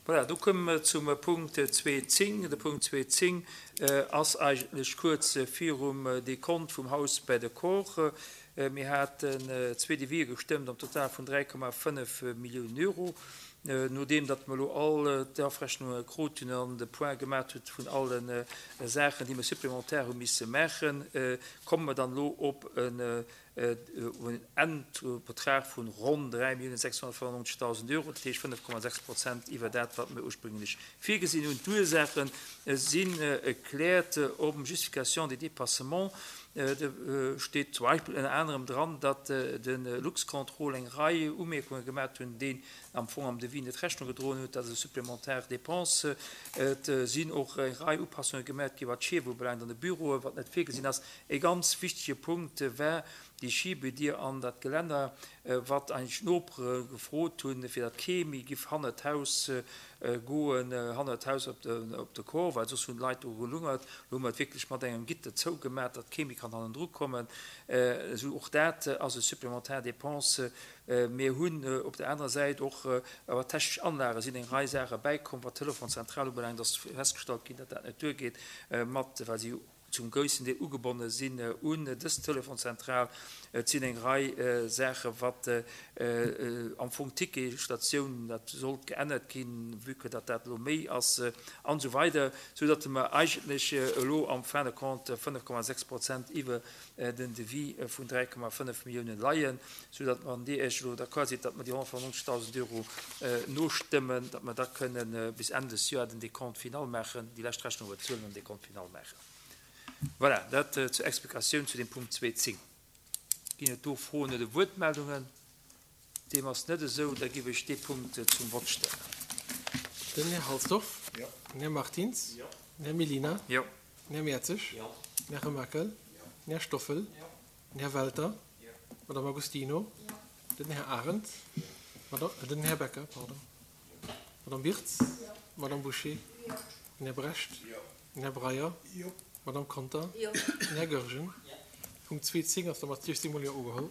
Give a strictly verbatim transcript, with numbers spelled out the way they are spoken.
Voilà, do komme mer zum Punkt zwee zéng. De Punkt zwee zéng ass eigentlech kuerz virum Dekont vum Haus bei de Corps. Mir haten zwee Devisë gestëmmt am Total vun dräi Komma fënnef Milliounen Euro. Nodeem datt mer elo all d'Afrechnunge krut hunn an de Point gemaat hutt vun alle Saachen, déi mer supplémentaire hu misse maachen, komme mer dann elo op en Endbetrag vun ronn dräi Milliounen sechshonnertfënnennonzegdausend Euro, dat heescht fënnef Komma sechs Prozent iwwer dat, wat mer ursprünglech virgesinn hunn. D'Ursaache sinn erkläert op Justification des dépassements. Do steet zum Beispill ënner anerem dran, datt de Luxcontrol eng Rei Umierkunge gemaat hunn, déi am Fong am Devis net Rechnung gedroen huet, dat ass e supplémentaire Dépense. Et sinn och eng Rei Upassunge gemat gi wat d'Schief ubelaangt an de Büroen, wat net virgesinn ass. E ganz wichtege Punkt war déi Schiebedier an dat Gelänner, wat eigentlech d'Nopere gefrot hunn, fir datt kee méi giff hannert d'Haus goen, hannert d'Haus op de Corps, well soss hunn d'Leit do gelungert. Elo hu mer et wierklech mat engem Gitter zougemat, datt kee méi kann hannendru kommen. Esou och dat ass e supplémentaire Dépense. Mir hunn op der anerer Säit och iwwer technesch Anlage sinn eng Rei Saache bäikomm. Wat d'Telefonszentral ubelaangt, ass festgestallt ginn, datt dat net duergeet mat, well si zum groussen Deel ugebonne sinn un dës Telefonszentral. Et sinn eng Rei Saache wat am Fong d'Ticketstatioun, dat sollt geännert ginn, vue que datt dat elo méi ass an esou weider, soudatt mer eigentlech elo am fin de compte fënnef Komma sechs Prozent iwwer den Devis vun dräi Komma fënnef Milliounen leien, soudatt mer, wann Dir Iech elo d'accord sidd, datt mer déi honnertfënnefnonzegdausend Euro nostëmmen, datt mer da kënnen bis Enn des Joer den Décompte final maachen, déi lescht Rechnung bezuelen an den Décompte final maachen. Voilà, dat zur Explikatioun zu dem Punkt zwee zéng. Ginn et do Froen oder Wuertmeldungen? Deem ass net esou. Da géif ech dee Punkt zum Vott stellen. Den Här Halsdorf. Jo. Den Här Martins. Jo. Den Här Mellina. Jo. Den Här Mertzig. Jo. Den Här Remakel. Den Här Stoffel. Den Här Welter. D'Madame Agostino. Den Här Arendt. Den Här Becker, pardon. D'Madame Birtz. D'Madame Bouché. Den Här Brecht. Den Här Breyer. D'Madame Conter. Den Här Goergen. Punkt zwee zéng ass da mat siechzéng Mol Jo ugeholl.